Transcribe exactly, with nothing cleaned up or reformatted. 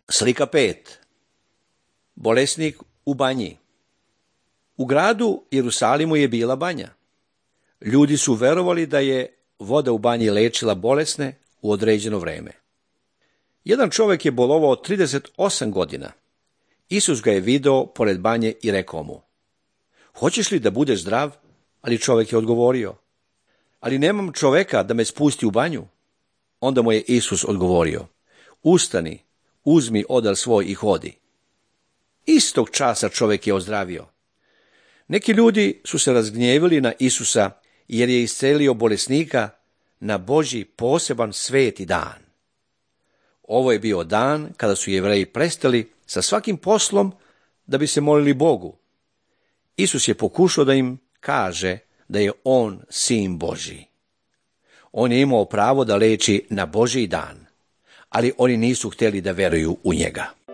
Slika pet. Bolesnik u banji. U gradu Jerusalimu je bila banja. Ljudi su verovali da je voda u banji lečila bolesne u određeno vreme. Jedan čovjek je bolovao trideset osam godina. Isus ga je video pored banje i rekao mu: "Hoćeš li da budeš zdrav?" Ali čovjek je odgovorio: "Ali nemam čovjeka da me spusti u banju." Onda mu je Isus odgovorio: "Ustani, uzmi odar svoj i hodi." Istog časa čovjek je ozdravio. Neki ljudi su se razgnjevili na Isusa jer je iscelio bolesnika na Božji poseban sveti dan. Ovo je bio dan kada su Jevreji prestali sa svakim poslom da bi se molili Bogu. Isus je pokušao da im kaže da je on sin Božji. On je imao pravo da leči na Božji dan, ali oni nisu htjeli da veruju u njega.